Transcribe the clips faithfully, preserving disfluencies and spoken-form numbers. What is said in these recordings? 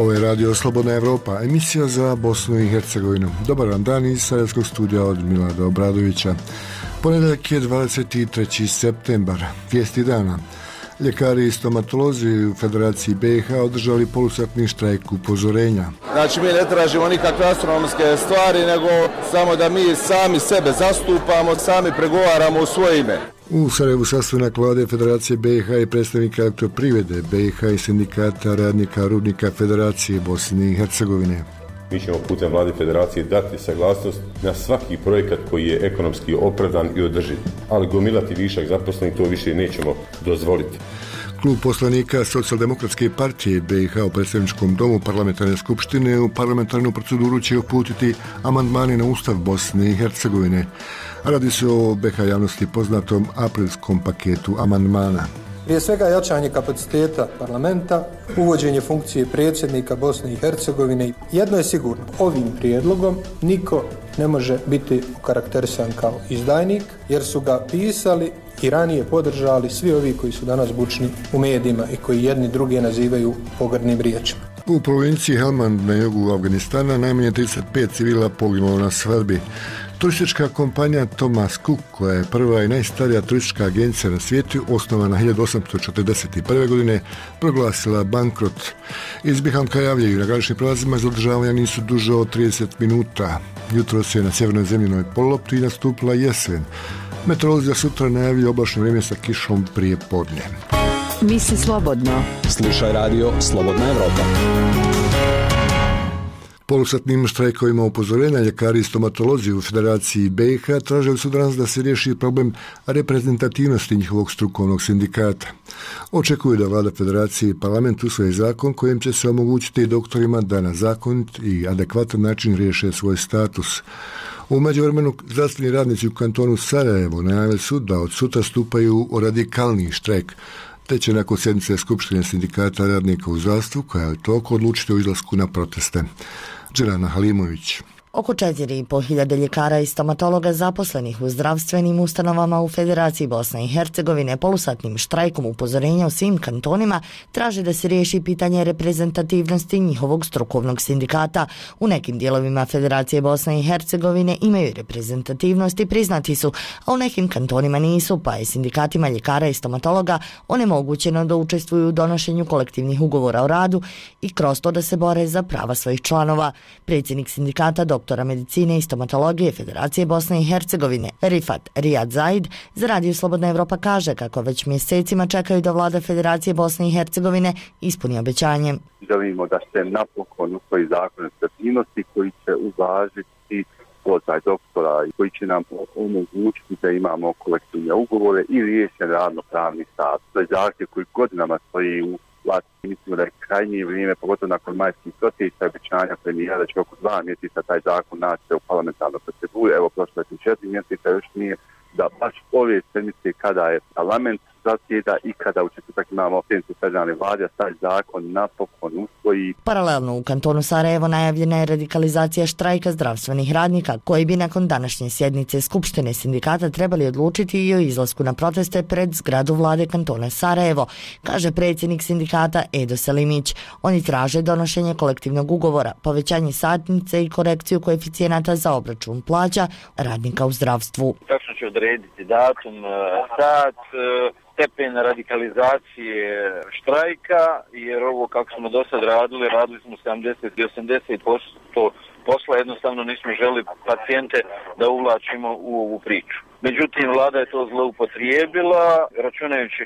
Ovo je Radio Slobodna Evropa, emisija za Bosnu i Hercegovinu. Dobar vam dan iz Sarajevskog studija od Milada Obradovića. Ponedjeljak je dvadeset treći septembar, vijesti dana. Ljekari i stomatolozi u Federaciji B i H održali polusatni štrajk upozorenja. Znači mi ne tražimo nikakve astronomske stvari, nego samo da mi sami sebe zastupamo, sami pregovaramo u svoje ime. U Sarajevu sastanak vlade Federacije B i H i predstavnika elektroprivrede B i H i sindikata radnika rudnika Federacije Bosne i Hercegovine. Mi ćemo putem vlade Federacije dati saglasnost na svaki projekat koji je ekonomski opravdan i održiv, ali gomilati višak zaposlenih to više nećemo dozvoliti. Klub poslanika Socijaldemokratske partije B i H u predstavničkom domu parlamentarne skupštine u parlamentarnu proceduru će uputiti amandmane na Ustav Bosne i Hercegovine. Radi se o B i H javnosti poznatom aprilskom paketu amandmana. Prije svega jačanje kapaciteta parlamenta, uvođenje funkcije predsjednika Bosne i Hercegovine. Jedno je sigurno, ovim prijedlogom niko ne može biti okarakterisan kao izdajnik, jer su ga pisali i ranije podržali svi ovi koji su danas bučni u medijima i koji jedni druge nazivaju pogrdnim riječima. U provinciji Helmand na jugu Afganistana najmanje trideset pet civila poginulo na svadbi. Turistička kompanija Thomas Cook, koja je prva i najstarija turistička agencija na svijetu, osnovana hiljadu osamsto četrdeset prve. godine, proglasila bankrot. Iz Bihamka javljaju na graničnim prelazima zadržavanja nisu duže od trideset minuta. Jutro se na sjevernoj zemljinoj pololopti nastupila jesen. Meteorolozi za sutra najavljuju oblačno vrijeme sa kišom prije podne. Misli slobodno. Slušaj radio Slobodna Evropa. Polusatnim štrajkovima upozorenja ljekari i stomatolozi u Federaciji B i H tražili su danas da se riješi problem reprezentativnosti njihovog strukovnog sindikata. Očekuju da vlada Federacije i parlament usvoje zakon kojim će se omogućiti doktorima da na zakonit i adekvatan način riješe svoj status. U međuvremenu zdravstveni radnici u kantonu Sarajevo najavili su da od sutra stupaju u radikalni štrajk, te će nakon sjednice Skupštine sindikata radnika u zdravstvu, koja je toliko odlučiti o izlasku na proteste. Dženana Halimović. Oko četiri i pol hiljade ljekara i stomatologa zaposlenih u zdravstvenim ustanovama u Federaciji Bosne i Hercegovine polusatnim štrajkom upozorenja u svim kantonima traže da se riješi pitanje reprezentativnosti njihovog strukovnog sindikata. U nekim dijelovima Federacije Bosne i Hercegovine imaju reprezentativnost i priznati su, a u nekim kantonima nisu, pa je sindikatima ljekara i stomatologa onemogućeno da učestvuju u donošenju kolektivnih ugovora o radu i kroz to da se bore za prava svojih članova. Predsjednik sindikata doktora medicine i stomatologije Federacije Bosne i Hercegovine Rifat Rijad Zaid za Radio Slobodna Evropa kaže kako već mjesecima čekaju da vlada Federacije Bosne i Hercegovine ispuni obećanje. Želimo da se napokon usvoji zakon o reprezentativnosti koji će uvažiti položaj doktora i koji će nam omogućiti da imamo kolektivne ugovore i riješen radno-pravni status. To je zahtjev koji godinama stoji u vlasti. Mislimo da je krajnje vrijeme, pogotovo nakon majskih protesta i obećanja premijera da će oko dva mjeseca taj zakon naći u parlamentarnoj proceduri. Evo, prošlo je četiri mjeseca, još nije, da baš ove sedmice kada je parlament zasjeda i kada u četvrtak imamo sjednicu federalne vlade, taj zakon napokon usvoji. Paralelno u kantonu Sarajevo najavljena je radikalizacija štrajka zdravstvenih radnika, koji bi nakon današnje sjednice Skupštine sindikata trebali odlučiti i o izlasku na proteste pred zgradu vlade kantona Sarajevo, kaže predsjednik sindikata Edo Selimić. Oni traže donošenje kolektivnog ugovora, povećanje satnice i korekciju koeficijenata za obračun plaća radnika u zdravstvu. Tačno će odrediti datum, sat, stepen radikalizacije štrajka, jer ovo kako smo do sad radili, radili smo sedamdeset do osamdeset posto posla, jednostavno nismo želi pacijente da uvlačimo u ovu priču. Međutim, vlada je to zloupotrijebila, računajući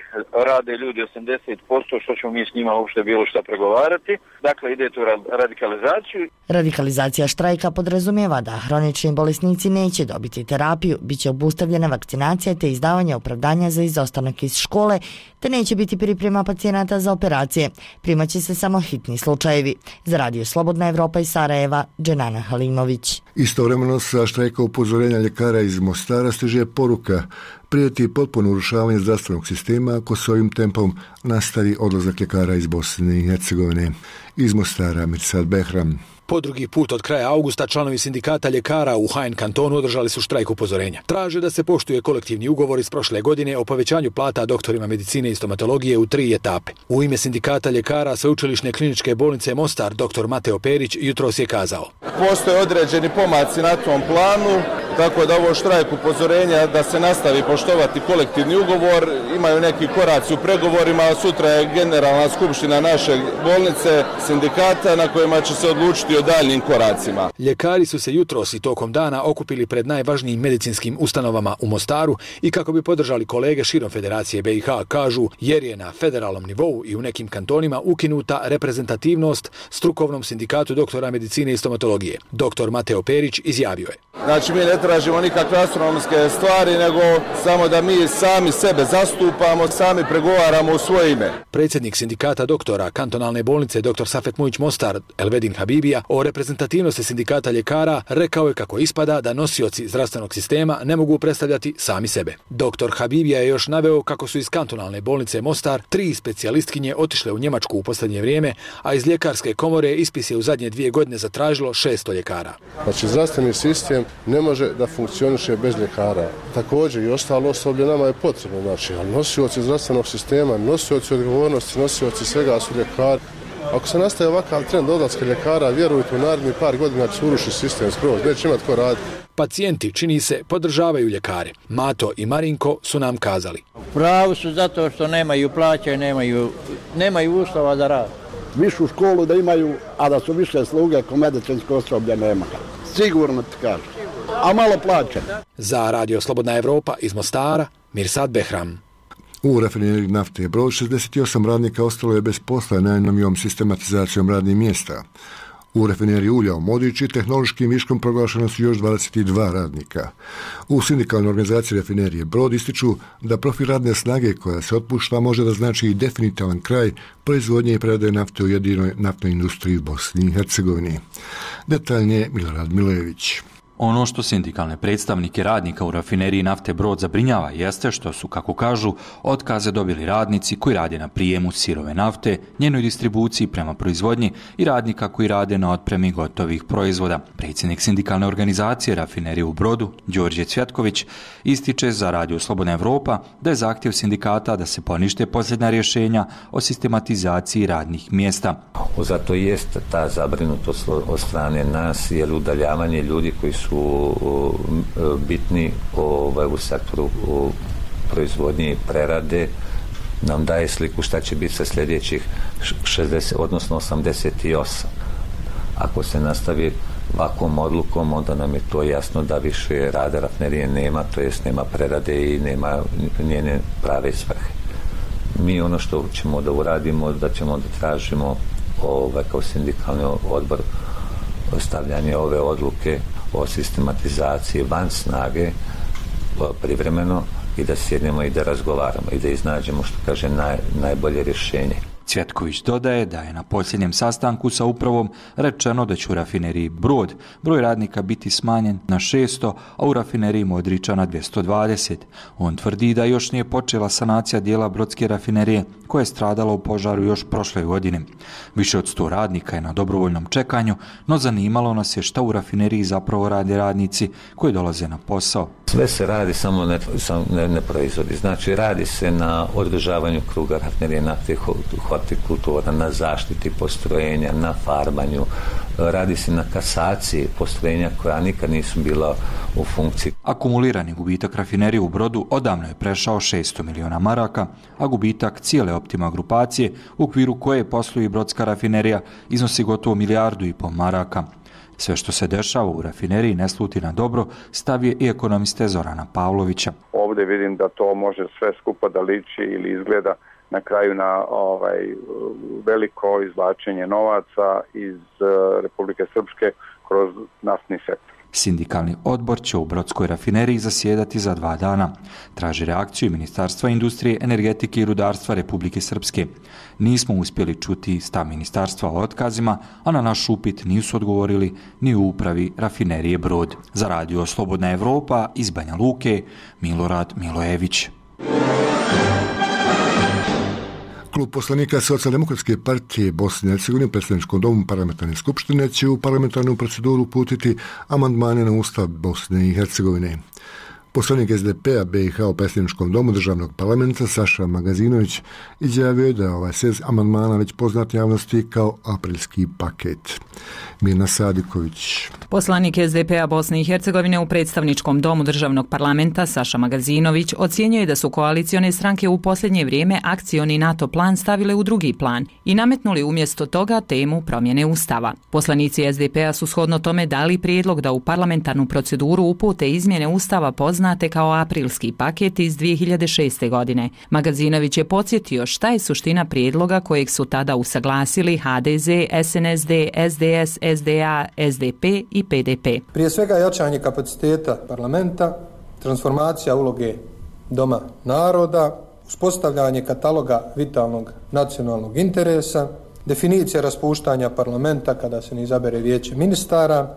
rade ljudi osamdeset posto, što ćemo mi s njima uopšte bilo šta pregovarati. Dakle, ide tu radikalizaciju. Radikalizacija štrajka podrazumijeva da hronični bolesnici neće dobiti terapiju, bit će obustavljena vakcinacija te izdavanje opravdanja za izostanak iz škole, te neće biti priprema pacijenata za operacije. Primaće se samo hitni slučajevi. Za Radio Slobodna Evropa iz Sarajeva, Dženana Halimović. Istovremeno sa štrajka upozorenja ljekara iz Mostara stiže poruka: prijeti potpuno urušavanje zdravstvenog sistema ako se ovim tempom nastavi odlazak ljekara iz Bosne i Hercegovine. Iz Mostara, Mirsad Behram. Po drugi put od kraja augusta članovi sindikata ljekara u Hain kantonu održali su štrajk upozorenja. Traže da se poštuje kolektivni ugovor iz prošle godine o povećanju plata doktorima medicine i stomatologije u tri etape. U ime sindikata ljekara Sveučilišne kliničke bolnice Mostar dr Mateo Perić jutros je kazao: Postoje određeni pomaci na tom planu, tako da ovo štrajk upozorenja da se nastavi poštovati kolektivni ugovor, imaju neki koraci u pregovorima, a sutra je generalna skupština naše bolnice, sindikata na kojima će se odlučiti o daljnim koracima. Ljekari su se jutros i tokom dana okupili pred najvažnijim medicinskim ustanovama u Mostaru i kako bi podržali kolege širom Federacije B i H, kažu, jer je na federalnom nivou i u nekim kantonima ukinuta reprezentativnost strukovnom sindikatu doktora medicine i stomatologije. Dr Mateo Perić izjavio je: Znači, mi ne tražimo nikakve astronomske stvari, nego samo da mi sami sebe zastupamo, sami pregovaramo u svoje ime. Predsjednik sindikata doktora kantonalne bolnice dr Safet Mujić Mostar Elvedin Habibija o reprezentativnosti sindikata ljekara rekao je kako ispada da nosioci zdravstvenog sistema ne mogu predstavljati sami sebe. Dr Habibija je još naveo kako su iz kantonalne bolnice Mostar tri specijalistkinje otišle u Njemačku u posljednje vrijeme, a iz ljekarske komore ispis je u zadnje dvije godine zatražilo šesto ljekara. Znači, zdravstveni sistem ne može da funkcioniše bez ljekara. Također i ostalo osoblje nama je potrebno, znači, ali nosioci zdravstvenog sistema, nosioci odgovornosti, nosioci svega su ljekari. Ako se nastaje ovakav trend odlaska ljekara, vjerujte, u narednih par godina će se urušiti sistem skroz, neće imati ko raditi. Pacijenti, čini se, podržavaju ljekare. Mato i Marinko su nam kazali: Pravi su zato što nemaju plaće, nemaju, nemaju uslova za rad. Višu školu da imaju, a da su više sluge ko medicinsko osoblje nema. Sigurno ti kažem. A malo plaće. Za Radio Slobodna Evropa iz Mostara, Mirsad Behram. U rafineriji nafte Brod šezdeset osam radnika ostalo je bez posla najnovijom sistematizacijom radnih mjesta. U rafineriji ulja u Modići tehnološkim viškom proglašeno su još dvadeset dva radnika. U sindikalnoj organizaciji rafinerije Brod ističu da profil radne snage koja se otpušta može da znači i definitivan kraj proizvodnje i prerade nafte u jedinoj naftnoj industriji u Bosni i Hercegovini. Detaljnije Milorad Milojević. Ono što sindikalne predstavnike radnika u rafineriji nafte Brod zabrinjava jeste što su, kako kažu, otkaze dobili radnici koji rade na prijemu sirove nafte, njenoj distribuciji prema proizvodnji i radnika koji rade na otpremi gotovih proizvoda. Predsjednik sindikalne organizacije rafinerije u Brodu, Đorđe Cvjetković, ističe za Radio Slobodna Evropa da je zahtjev sindikata da se ponište posljednja rješenja o sistematizaciji radnih mjesta. Zato jeste ta zabrinutost od strane nas, jer udaljavanje ljudi koji su su bitni ovaj, u sektoru u proizvodnje i prerade nam daje sliku šta će biti sa sljedećih šezdeset, odnosno osamdeset osam. Ako se nastavi ovakvom odlukom, onda nam je to jasno da više rada rafinerije nema, to jest nema prerade i nema njene prave svrhe. Mi ono što ćemo da uradimo, da ćemo da tražimo ovaj, kao sindikalni odbor stavljanje ove odluke o sistematizaciji van snage privremeno i da sjednemo i da razgovaramo i da iznađemo, što kaže, naj, najbolje rješenje. Cvjetković dodaje da je na posljednjem sastanku sa upravom rečeno da će u rafineriji Brod broj radnika biti smanjen na šesto, a u rafineriji Modriča na dvjesto dvadeset. On tvrdi da još nije počela sanacija dijela brodske rafinerije koja je stradala u požaru još prošle godine. Više od sto radnika je na dobrovoljnom čekanju, no zanimalo nas je šta u rafineriji zapravo rade radnici koji dolaze na posao. Sve se radi, samo ne, ne, ne proizvodi. Znači, radi se na održavanju kruga rafinerije nafte, hortikultura, na zaštiti postrojenja, na farbanju, radi se na kasaciji postrojenja koja nikad nisu bila u funkciji. Akumulirani gubitak rafinerije u Brodu odavno je prešao šesto miliona maraka, a gubitak cijele Optima grupacije, u okviru koje posluje brodska rafinerija, iznosi gotovo milijardu i pol maraka. Sve što se dešava u rafineriji ne sluti na dobro, stav je i ekonomiste Zorana Pavlovića. Ovdje vidim da to može sve skupa da liči ili izgleda na kraju na ovaj, veliko izvlačenje novaca iz Republike Srpske kroz naftni sektor. Sindikalni odbor će u brodskoj rafineriji zasjedati za dva dana. Traži reakciju Ministarstva industrije, energetike i rudarstva Republike Srpske. Nismo uspjeli čuti stav ministarstva o otkazima, a na naš upit nisu odgovorili ni u upravi rafinerije Brod. Za Radio Slobodna Evropa iz Banja Luke, Milorad Milojević. Klub poslanika Socijaldemokratske partije Bosne i Hercegovine u predstavničkom domu parlamentarne skupštine će u parlamentarnu proceduru uputiti amandmane na Ustav Bosne i Hercegovine. Poslanik S D P-a B i H u predstavničkom domu državnog parlamenta Saša Magazinović izjavio je da ovaj set amandmana već poznat javnosti kao aprilski paket. Mirna Sadiković. Poslanik S D P-a Bosne i Hercegovine u predstavničkom domu državnog parlamenta Saša Magazinović ocjenjuje da su koalicione stranke u posljednje vrijeme akcioni NATO plan stavile u drugi plan i nametnuli umjesto toga temu promjene Ustava. Poslanici S D P-a su shodno tome dali prijedlog da u parlamentarnu proceduru upute izmjene Ustava poznate kao aprilski paket iz dvije hiljade šeste. godine. Magazinović je podsjetio šta je suština prijedloga kojeg su tada usaglasili H D Z, S N S D, S D S, S D A, S D P i P D P. Prije svega jačanje kapaciteta parlamenta, transformacija uloge Doma naroda, uspostavljanje kataloga vitalnog nacionalnog interesa, definicija raspuštanja parlamenta kada se ne izabere vijeće ministara,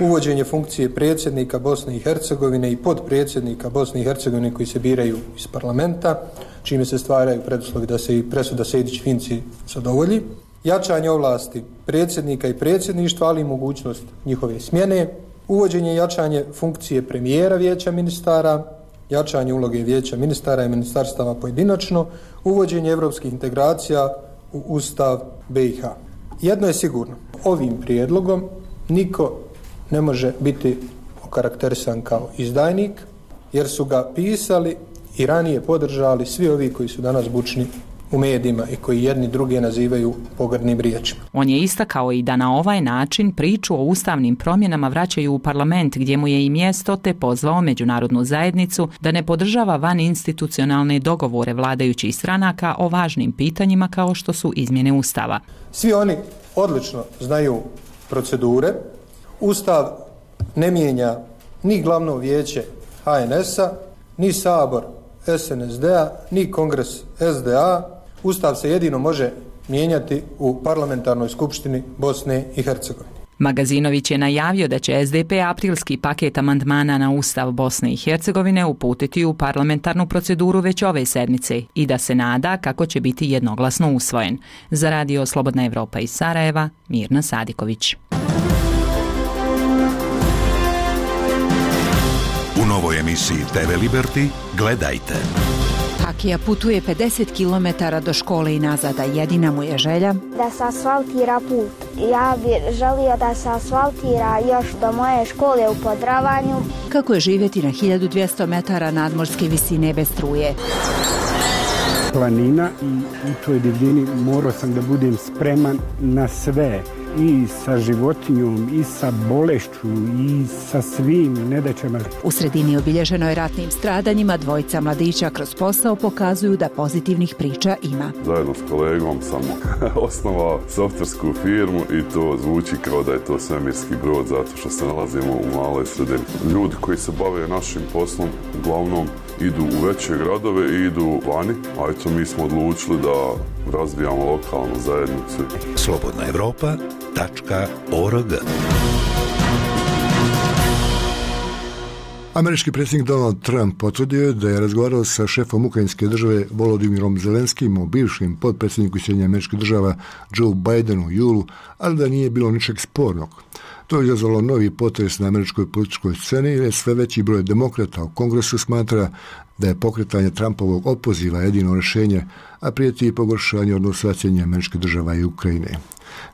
uvođenje funkcije predsjednika Bosne i Hercegovine i podpredsjednika Bosne i Hercegovine koji se biraju iz parlamenta, čime se stvaraju preduslovi da se i presuda Sejdić-Finci zadovolji, jačanje ovlasti predsjednika i predsjedništva, ali i mogućnost njihove smjene, uvođenje i jačanje funkcije premijera vijeća ministara, jačanje uloge vijeća ministara i ministarstava pojedinačno, uvođenje europskih integracija u Ustav B i H. Jedno je sigurno, ovim prijedlogom niko ne može biti okarakterisan kao izdajnik, jer su ga pisali i ranije podržali svi ovi koji su danas bučni u medijima i koji jedni druge nazivaju pogrdnim riječima. On je istakao i da na ovaj način priču o ustavnim promjenama vraćaju u parlament gdje mu je i mjesto, te pozvao međunarodnu zajednicu da ne podržava van institucionalne dogovore vladajućih stranaka o važnim pitanjima kao što su izmjene Ustava. Svi oni odlično znaju procedure. Ustav ne mijenja ni glavno vijeće H N S-a, ni Sabor S N S D-a, ni Kongres S D A. Ustav se jedino može mijenjati u parlamentarnoj skupštini Bosne i Hercegovine. Magazinović je najavio da će S D P aprilski paket amandmana na Ustav Bosne i Hercegovine uputiti u parlamentarnu proceduru već ove sedmice i da se nada kako će biti jednoglasno usvojen. Za radio Slobodna Evropa iz Sarajeva, Mirna Sadiković. U novoj emisiji T V Liberty gledajte. Hakija putuje pedeset kilometara do škole i nazad, a jedina mu je želja da se asfaltira put. Ja bih želio da se asfaltira još do moje škole u Podravanju. Kako je živjeti na hiljadu dvjesto metara nadmorske visine bez struje. Planina i u toj divljini morao sam da budem spreman na sve. I sa životinjom, i sa bolešću, i sa svim nedaćama. U sredini obilježenoj ratnim stradanjima dvojica mladića kroz posao pokazuju da pozitivnih priča ima. Zajedno s kolegom sam osnovao softversku firmu i to zvuči kao da je to svemirski brod zato što se nalazimo u maloj sredini. Ljudi koji se bave našim poslom uglavnom idu u veće gradove i idu vani, a eto mi smo odlučili da razvijamo lokalnu zajednicu. Slobodna Evropa tačka org. Američki predsjednik Donald Trump potvrdio je da je razgovarao sa šefom ukrajinske države Volodimirom Zelenskim o bivšem potpredsjedniku Sjedinjenih Američkih Država Joe Bidenu u julu, ali da nije bilo ničeg spornog. To je izazvalo novi potres na američkoj političkoj sceni jer sve veći broj demokrata u Kongresu smatra da je pokretanje Trumpovog opoziva jedino rješenje, a prijeti i pogoršanje odnosa Sjedinjenih Američkih Država i Ukrajine.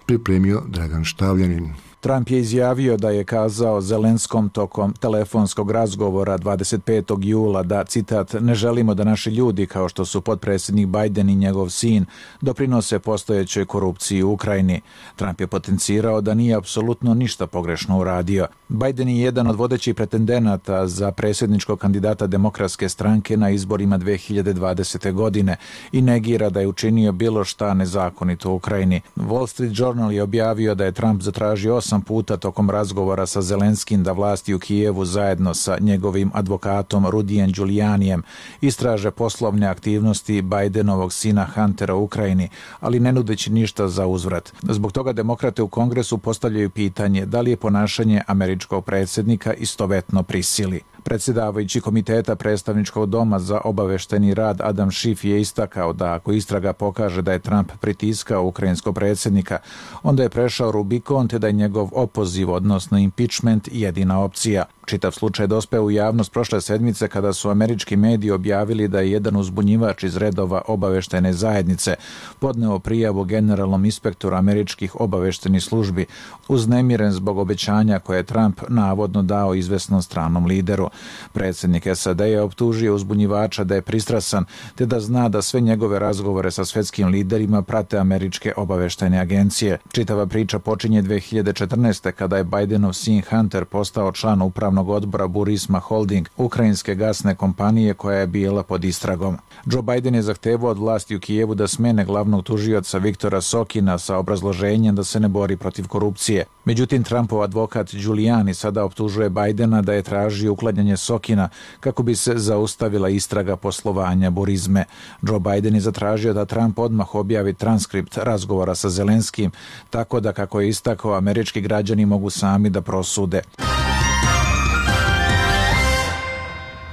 Pripremio Dragan Štavljanin. Trump je izjavio da je kazao Zelenskom tokom telefonskog razgovora dvadeset petog jula da, citat, ne želimo da naši ljudi, kao što su potpredsjednik Biden i njegov sin, doprinose postojećoj korupciji u Ukrajini. Trump je potencirao da nije apsolutno ništa pogrešno uradio. Biden je jedan od vodećih pretendenata za predsjedničkog kandidata Demokratske stranke na izborima dvije hiljade dvadesete. godine i negira da je učinio bilo šta nezakonito u Ukrajini. Wall Street Journal je objavio da je Trump zatražio osam puta tokom razgovora sa Zelenskim da vlasti u Kijevu zajedno sa njegovim advokatom Rudijem Giulianijem istraže poslovne aktivnosti Bidenovog sina Huntera u Ukrajini, ali ne nudeći ništa za uzvrat. Zbog toga demokrate u Kongresu postavljaju pitanje da li je ponašanje američkog predsjednika istovetno prisili. Predsjedavajući Komiteta predstavničkog doma za obavešteni rad Adam Schiff je istakao da ako istraga pokaže da je Trump pritiskao ukrajinskog predsjednika, onda je prešao Rubikon te da je njegov opoziv, odnosno impeachment, jedina opcija. Čitav slučaj dospeo u javnost prošle sedmice kada su američki mediji objavili da je jedan uzbunjivač iz redova obaveštene zajednice podneo prijavu generalnom inspektoru američkih obaveštenih službi, uznemiren zbog obećanja koje je Trump navodno dao izvesnom stranom lideru. Predsjednik S A D je optužio uzbunjivača da je pristrasan te da zna da sve njegove razgovore sa svjetskim liderima prate američke obaveštene agencije. Čitava priča počinje dvije hiljade četrnaeste. kada je Bidenov sin Hunter postao član upravnog odbora Burisma Holding, ukrajinske gasne kompanije koja je bila pod istragom. Joe Biden je zahtevao od vlasti u Kijevu da smene glavnog tužioca Viktora Sokina sa obrazloženjem da se ne bori protiv korupcije. Međutim, Trumpov advokat Giuliani sada optužuje Bidena da je tražio uklanjanje Sokina kako bi se zaustavila istraga poslovanja Burisme. Joe Biden je zatražio da Trump odmah objavi transkript razgovora sa Zelenskim, tako da, kako je istakao, američki građani mogu sami da prosude.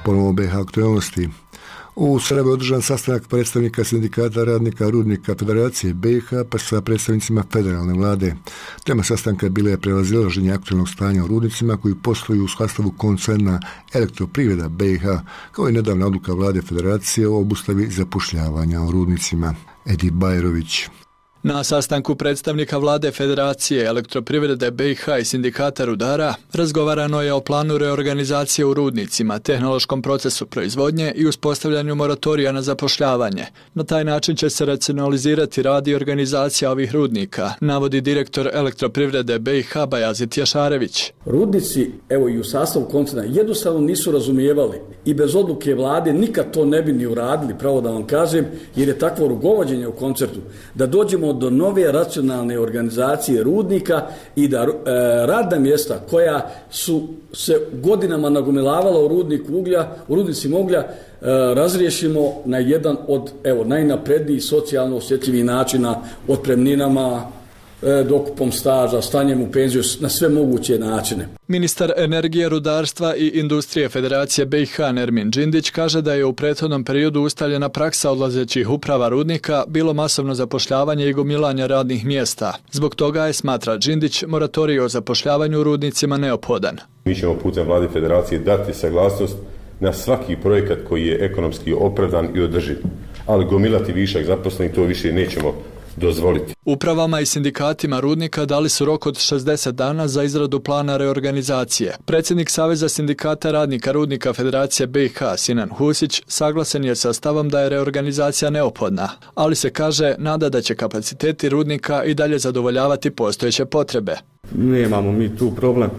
Ponovo B iH aktualnosti. U Sarajevu je održan sastanak predstavnika sindikata radnika rudnika Federacije B iH pa sa predstavnicima federalne vlade. Tema sastanka bila je prevazilaženje aktualnog stanja u rudnicima koji posluju u sastavu koncerna Elektroprivreda B iH, kao i nedavna odluka vlade Federacije o obustavi zapošljavanja u rudnicima. Edi Bajrović. Na sastanku predstavnika vlade Federacije, Elektroprivrede B iH i sindikata rudara razgovarano je o planu reorganizacije u rudnicima, tehnološkom procesu proizvodnje i uspostavljanju moratorija na zapošljavanje. Na taj način će se racionalizirati rad i organizacija ovih rudnika, navodi direktor Elektroprivrede B iH Bajazit Jašarević. Rudnici, evo i u sastavu koncerna, jednostavno nisu razumijevali i bez odluke vlade nikad to ne bi ni uradili, pravo da vam kažem, jer je takvo rukovođenje u koncertu da dođemo do nove racionalne organizacije rudnika i da e, radna mjesta koja su se godinama nagomilavala u rudniku uglja, u rudnicima uglja, e, razriješimo na jedan od evo najnaprednijih socijalno osjetljivih načina, otpremninama, dokupom staža, stanjem u penziju, na sve moguće načine. Ministar energije, rudarstva i industrije Federacije B iH Nermin Džindić kaže da je u prethodnom periodu ustaljena praksa odlazećih uprava rudnika bilo masovno zapošljavanje i gomilanje radnih mjesta. Zbog toga je, smatra Džindić, moratorij o zapošljavanju u rudnicima neophodan. Mi ćemo putem vlade Federacije dati saglasnost na svaki projekat koji je ekonomski opravdan i održiv, ali gomilati višak zaposlenih to više nećemo dozvoliti. Upravama i sindikatima rudnika dali su rok od šezdeset dana za izradu plana reorganizacije. Predsjednik Saveza sindikata radnika rudnika Federacije B iH Sinan Husić saglasen je sa stavom da je reorganizacija neophodna, ali se kaže nada da će kapaciteti rudnika i dalje zadovoljavati postojeće potrebe. Nemamo mi tu problem.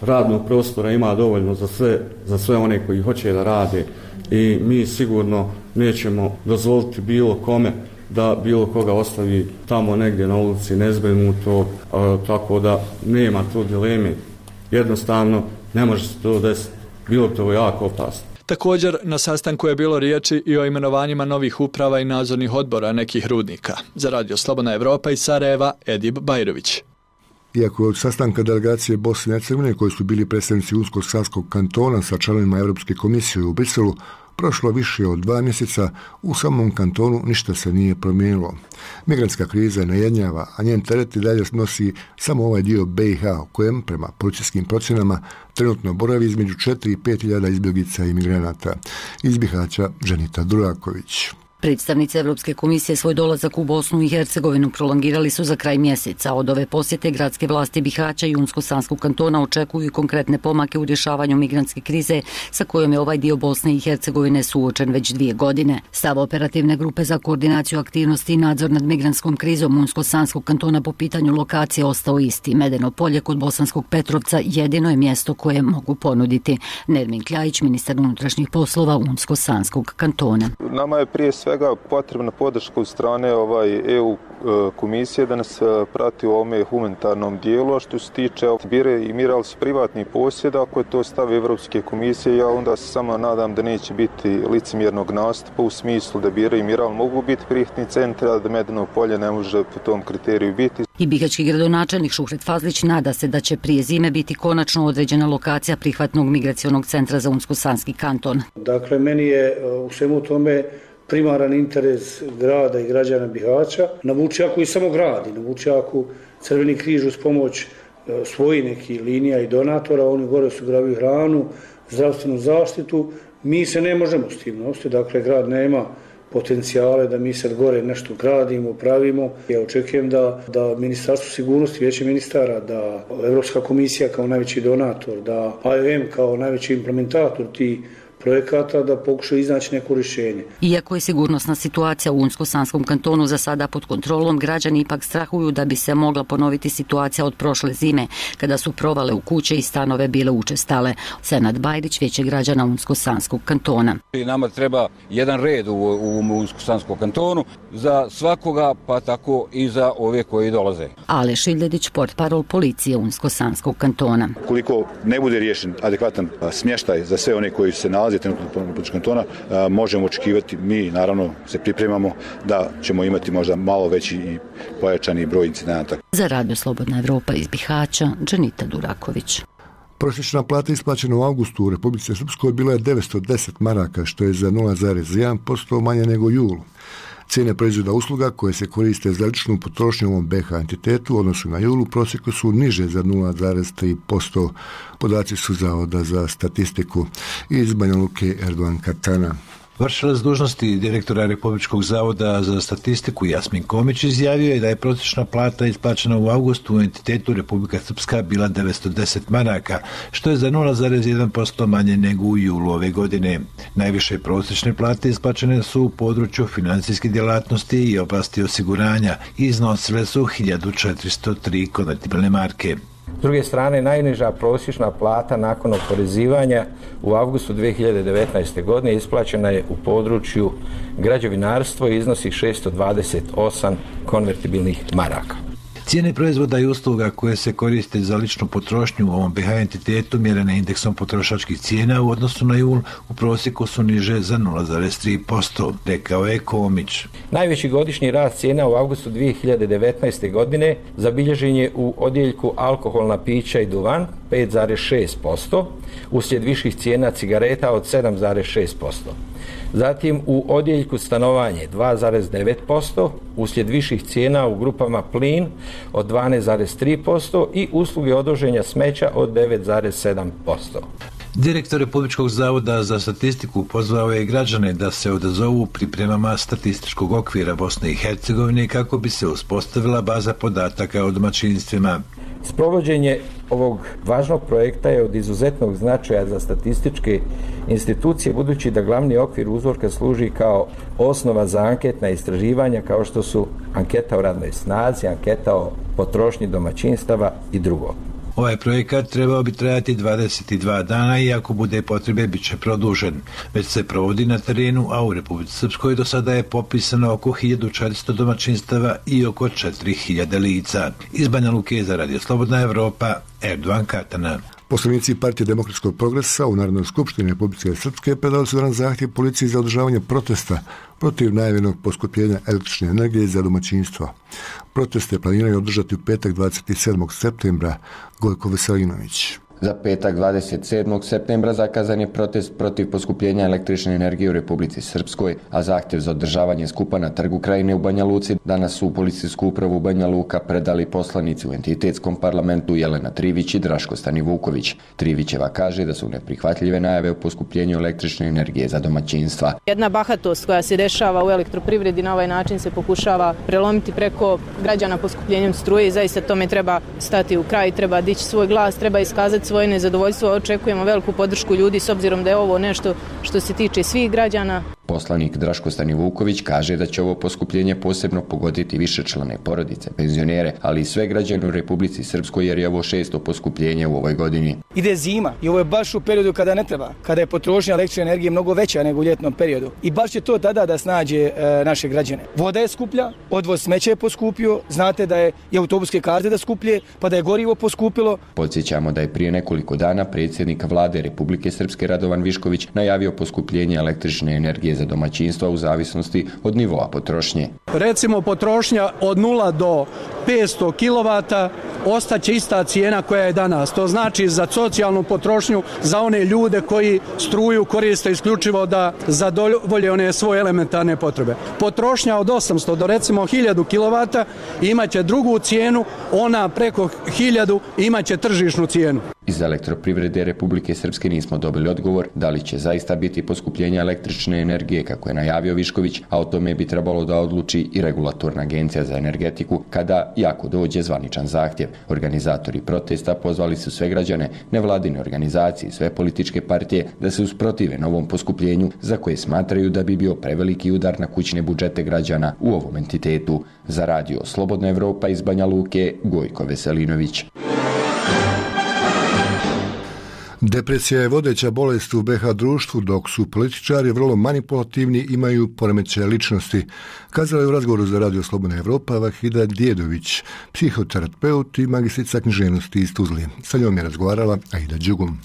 Radnog prostora ima dovoljno za sve, za sve one koji hoće da rade i mi sigurno nećemo dozvoliti bilo kome da bilo koga ostavi tamo negdje na ulici nezbrinuto, tako da nema tu dileme. Jednostavno ne može se to desiti. Bilo to jako opasno. Također, na sastanku je bilo riječi i o imenovanjima novih uprava i nadzornih odbora nekih rudnika. Za Radio Slobodna Evropa iz Sarajeva, Edib Bajrović. Iako je od sastanka delegacije Bosne i Hercegovine koji su bili predstavnici Unsko-Sanskog kantona sa članovima Europske komisije u Briselu, prošlo više od dva mjeseca, u samom kantonu ništa se nije promijenilo. Migrantska kriza najednjava, a njen teret i dalje nosi samo ovaj dio B iH u kojem, prema policijskim procjenama, trenutno boravi između četiri i pet hiljada izbjeglica i migranata. Iz Bihaća Ženita Duraković. Predstavnici Evropske komisije svoj dolazak u Bosnu i Hercegovinu prolongirali su za kraj mjeseca. Od ove posjete gradske vlasti Bihaća i Unsko-Sanskog kantona očekuju konkretne pomake u rješavanju migrantske krize sa kojom je ovaj dio Bosne i Hercegovine suočen već dvije godine. Stav operativne grupe za koordinaciju aktivnosti i nadzor nad migrantskom krizom Unsko-Sanskog kantona po pitanju lokacije ostao isti. Medeno polje kod Bosanskog Petrovca jedino je mjesto koje mogu ponuditi. Nermin Kljajić, ministar unutrašnjih poslova Unsko-Sanskog kantona. Nama je prije sve svega potrebna podrška od strane ovaj E U komisije da nas prati u ovome humanitarnom dijelu, a što se tiče bire i miral s privatnih posjeda, ako je to stav Evropske komisije, ja onda se samo nadam da neće biti licemjernog nastupa u smislu da bire i miral mogu biti prihvatni centri, a da Medeno polje ne može po tom kriteriju biti. I bihaćki gradonačelnik Šuhret Fazlić nada se da će prije zime biti konačno određena lokacija prihvatnog migracionog centra za Unsko-Sanski kanton. Dakle, meni je u svemu tome primaran interes grada i građana Bihaća. Na Vučjaku i samo gradi. Na Vučjaku Crveni križ uz pomoć svojih nekih linija i donatora, oni gore su gravili hranu, zdravstvenu zaštitu. Mi se ne možemo s tim nositi, dakle grad nema potencijale da mi sad gore nešto gradimo, pravimo. Ja očekujem da, da Ministarstvo sigurnosti, Vijeće ministara, da Evropska komisija kao najveći donator, da A E M kao najveći implementator ti projekata da pokušaju iznaći neko rješenje. Iako je sigurnosna situacija u Unsko-Sanskom kantonu za sada pod kontrolom, građani ipak strahuju da bi se mogla ponoviti situacija od prošle zime, kada su provale u kuće i stanove bile učestale. Senad Bajdić, Vijeće građana Unsko-Sanskog kantona. Nama treba jedan red u, u Unsko-Sanskom kantonu za svakoga, pa tako i za ove koji dolaze. Ale Šiljedić, portparol policije Unsko-Sanskog kantona. Koliko ne bude riješen adekvatan smještaj za sve one koji se nalaze trenutno u kantona, možemo očekivati, mi naravno se pripremamo da ćemo imati možda malo veći i pojačani broj incidenata. Za Radio Slobodna Evropa iz Bihaća, Dženita Duraković. Prosječna plata isplaćena u avgustu u Republici Srpskoj bila je devetsto deset maraka, što je za nula zarez jedan posto manje nego u julu. Cijene proizvoda usluga koje se koriste za ličnu potrošnju u ovom B H entitetu u odnosu na julu prosjeku su niže za nula zarez tri posto. Podaci su Zavoda za statistiku. Iz Banja Luke Erdogan Katana. Vršilac dužnosti direktora Republičkog zavoda za statistiku Jasmin Komić izjavio je da je prosječna plata isplaćena u avgustu u entitetu Republika Srpska bila devetsto deset maraka, što je za nula zarez jedan posto manje nego u julu ove godine. Najviše prosječne plate isplaćene su u području financijske djelatnosti i oblasti osiguranja i iznosile su hiljadu četiristo tri konvertibilne marke. S druge strane, najniža prosječna plata nakon oporezivanja u avgustu dvije hiljade devetnaeste. godine isplaćena je u području građevinarstva i iznosi šessto dvadeset osam konvertibilnih maraka. Cijene proizvoda i usluga koje se koriste za ličnu potrošnju u ovom B H entitetu mjerene indeksom potrošačkih cijena u odnosu na jul u prosjeku su niže za nula zarez tri posto, rekao je Komić. Najveći godišnji rast cijena u avgustu dvije hiljade devetnaeste. godine zabilježen je u odjeljku alkoholna pića i duvan pet zarez šest posto, uslijed viših cijena cigareta od sedam zarez šest posto. Zatim u odjeljku stanovanje dva zarez devet posto, uslijed viših cijena u grupama plin od dvanaest zarez tri posto i usluge odvoženja smeća od devet zarez sedam posto. Direktor Republičkog zavoda za statistiku pozvao je građane da se odazovu pripremama statističkog okvira Bosne i Hercegovine kako bi se uspostavila baza podataka o domaćinstvima. Sprovođenje ovog važnog projekta je od izuzetnog značaja za statističke institucije, budući da glavni okvir uzorka služi kao osnova za anketna istraživanja kao što su anketa o radnoj snazi, anketa o potrošnji domaćinstava i drugo. Ovaj projekat trebao bi trajati dvadeset dva dana i ako bude potrebe bit će produžen. Već se provodi na terenu, a u Republici Srpskoj do sada je popisano oko hiljadu četiristo domaćinstava i oko četiri hiljade lica. Iz Banja Luke za Radio Slobodna Evropa, Erdogan Katana. Poslanici Partije demokratskog progresa u Narodnoj skupštini Republike Srpske predali su danas zahtjev policiji za održavanje protesta protiv najavljenog poskupljenja električne energije za domaćinstva. Proteste planiraju održati u petak dvadeset sedmog septembra. Gojko Veselinović. Za petak dvadeset sedmog septembra zakazan je protest protiv poskupljenja električne energije u Republici Srpskoj, a zahtjev za održavanje skupa na Trgu Krajine u Banja Luci danas su u policijsku upravu Banja Luka predali poslanici u entitetskom parlamentu Jelena Trivić i Draško Stanivuković. Trivićeva kaže da su neprihvatljive najave o poskupljenju električne energije za domaćinstva. Jedna bahatost koja se dešava u elektroprivredi na ovaj način se pokušava prelomiti preko građana poskupljenjem struje i zaista tome treba stati u kraj, treba dići svoj glas, treba iskazati svoje nezadovoljstvo. Očekujemo veliku podršku ljudi s obzirom da je ovo nešto što se tiče svih građana. Poslanik Draško Stanivuković kaže da će ovo poskupljenje posebno pogoditi višečlane porodice, penzionere, ali i sve građane u Republici Srpskoj jer je ovo šesto poskupljenje u ovoj godini. Ide zima i ovo je baš u periodu kada ne treba, kada je potrošnja električne energije mnogo veća nego u ljetnom periodu. I baš će to tada da snađe e, naše građane. Voda je skuplja, odvoz smeća je poskupio, znate da je i autobuske karte da skuplje, pa da je gorivo poskupilo. Podsjećamo da je prije nekoliko dana predsjednik Vlade Republike Srpske Radovan Višković najavio poskupljenje električne energije za domaćinstva u zavisnosti od nivoa potrošnje. Recimo potrošnja od nula do petsto kilovata ostaće ista cijena koja je danas. To znači za socijalnu potrošnju, za one ljude koji struju koriste isključivo da zadovolje one svoje elementarne potrebe. Potrošnja od osamsto do recimo hiljadu kilovata imaće drugu cijenu, ona preko hiljadu imaće tržišnu cijenu. Iz Elektroprivrede Republike Srpske nismo dobili odgovor da li će zaista biti poskupljenja električne energije kako je najavio Višković, a o tome bi trebalo da odluči i Regulatorna agencija za energetiku kada i ako dođe zvaničan zahtjev. Organizatori protesta pozvali su sve građane, nevladine organizacije i sve političke partije da se usprotive novom poskupljenju za koje smatraju da bi bio preveliki udar na kućne budžete građana u ovom entitetu. Za radio Slobodna Evropa iz Banja Luke, Gojko Veselinović. Depresija je vodeća bolest u B H društvu, dok su političari vrlo manipulativni i imaju poremećaje ličnosti. Kazala je u razgovoru za radio Slobodna Evropa Vahida Djedović, psihoterapeut i magistrica književnosti iz Tuzle. Sa njom je razgovarala Aida Đugum.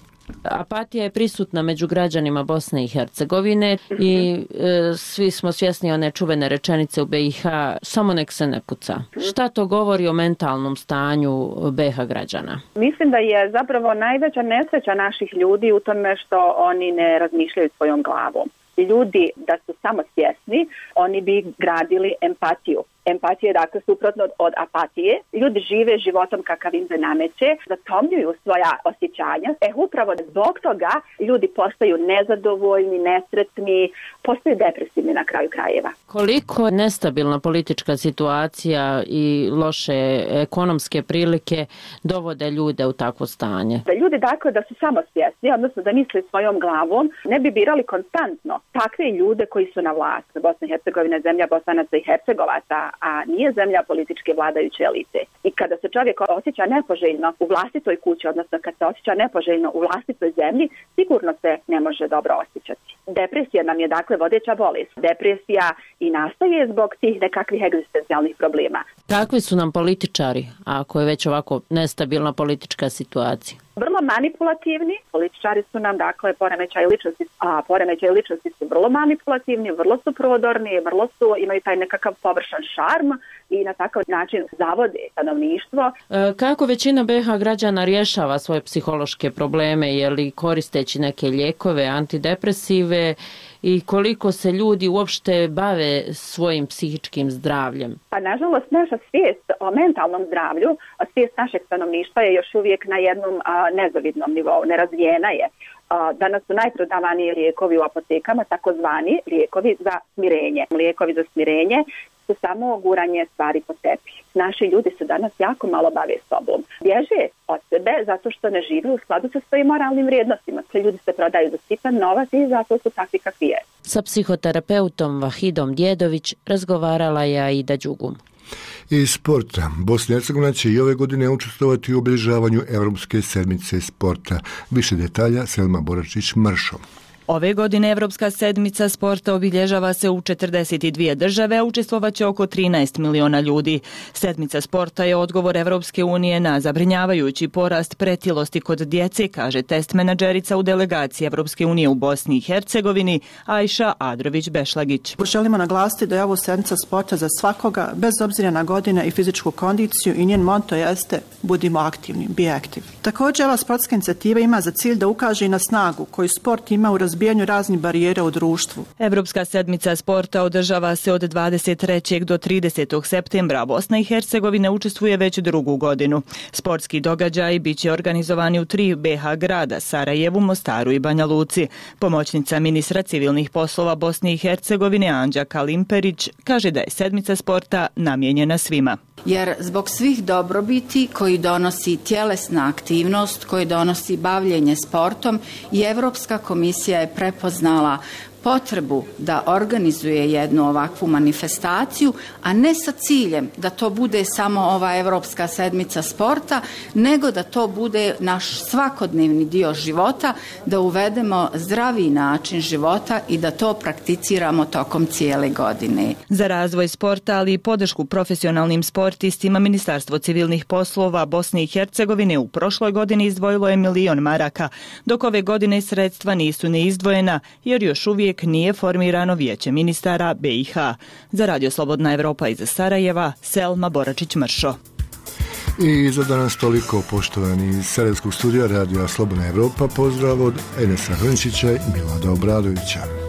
Apatija je prisutna među građanima Bosne i Hercegovine i e, svi smo svjesni one čuvene rečenice u B i H, samo nek se ne puca. Šta to govori o mentalnom stanju B H građana? Mislim da je zapravo najveća nesreća naših ljudi u tome što oni ne razmišljaju svojom glavom. Ljudi da su samo svjesni, oni bi gradili empatiju. Empatija je dakle suprotno od apatije. Ljudi žive životom kakav im se nameće, zatomljuju svoja osjećanja. E upravo zbog toga ljudi postaju nezadovoljni, nesretni, postaju depresivni na kraju krajeva. Koliko nestabilna politička situacija i loše ekonomske prilike dovode ljude u takvo stanje? Da ljudi dakle da su samo svjesni, odnosno da misle svojom glavom, ne bi birali konstantno takve ljude koji su na vlasti. Bosna i Hercegovina je zemlja Bosanaca i Hercegovaca, a nije zemlja političke vladajuće elite. I kada se čovjek osjeća nepoželjno u vlastitoj kući, odnosno kad se osjeća nepoželjno u vlastitoj zemlji, sigurno se ne može dobro osjećati. Depresija nam je dakle vodeća bolest. Depresija i nastaje zbog tih nekakvih egzistencijalnih problema. Kakvi su nam političari, ako je već ovako nestabilna politička situacija? Vrlo manipulativni, političari su nam dakle poremećaj ličnosti, a poremećaj ličnosti su vrlo manipulativni, vrlo su prodorni, vrlo su, imaju taj nekakav površan šarm i na takav način zavode stanovništvo. E, kako većina B H građana rješava svoje psihološke probleme, je li koristeći neke lijekove, antidepresive i koliko se ljudi uopšte bave svojim psihičkim zdravljem? Pa nažalost naša svijest o mentalnom zdravlju, svijest našeg stanovništva je još uvijek na jednom a, nezavidnom nivou, nerazvijena je. A, danas su najprodavaniji lijekovi u apotekama, takozvani lijekovi za smirenje. Lijekovi za smirenje su samo guranje stvari po tepi. Naši ljudi se danas jako malo bave sobom. Bježe od sebe zato što ne žive u skladu sa svojim moralnim vrijednostima. Sve ljudi se prodaju za sitan novac i zato su takvi kakvi je. Sa psihoterapeutom Vahidom Djedović razgovarala je Aida Đugum. Iz sporta. Bosna i Hercegovina će i ove godine učestvovati u obilježavanju Evropske sedmice sporta. Više detalja Selma Boračić-Mršo. Ove godine Evropska sedmica sporta obilježava se u četrdeset dvije države, a učestvovaće oko trinaest miliona ljudi. Sedmica sporta je odgovor Evropske unije na zabrinjavajući porast pretilosti kod djece, kaže test menadžerica u delegaciji Evropske unije u Bosni i Hercegovini, Ajša Adrović-Bešlagić. Želimo naglasiti da je ovo sedmica sporta za svakoga, bez obzira na godine i fizičku kondiciju, i njen monto jeste budimo aktivni, be active. Također, ova sportska inicijativa ima za cilj da ukaže i na snagu koju sport ima u razbijanju raznih barijera u društvu. Evropska sedmica sporta održava se od dvadeset trećeg do tridesetog septembra. Bosna i Hercegovina učestvuje već drugu godinu. Sportski događaji biće organizovani u tri B H grada, Sarajevu, Mostaru i Banja Luci. Pomoćnica ministra civilnih poslova Bosne i Hercegovine Anđa Kalimperić kaže da je sedmica sporta namijenjena svima. Jer zbog svih dobrobiti koji donosi tjelesna aktivnost, koji donosi bavljenje sportom, i Evropska komisija je prepoznala potrebu da organizuje jednu ovakvu manifestaciju, a ne sa ciljem da to bude samo ova Evropska sedmica sporta, nego da to bude naš svakodnevni dio života, da uvedemo zdravi način života i da to prakticiramo tokom cijele godine. Za razvoj sporta, ali i podršku profesionalnim sportistima, Ministarstvo civilnih poslova Bosne i Hercegovine u prošloj godini izdvojilo je milion maraka, dok ove godine sredstva nisu ni izdvojena, jer još uvijek nije formirano vijeće ministara B i H. Za Radio Slobodna Evropa iz Sarajeva, Selma Boračić-Mršo. I za danas toliko, poštovani iz Sarajevskog studija Radija Slobodna Evropa. Pozdrav od Enesa Hrnčića i Milada Obradovića.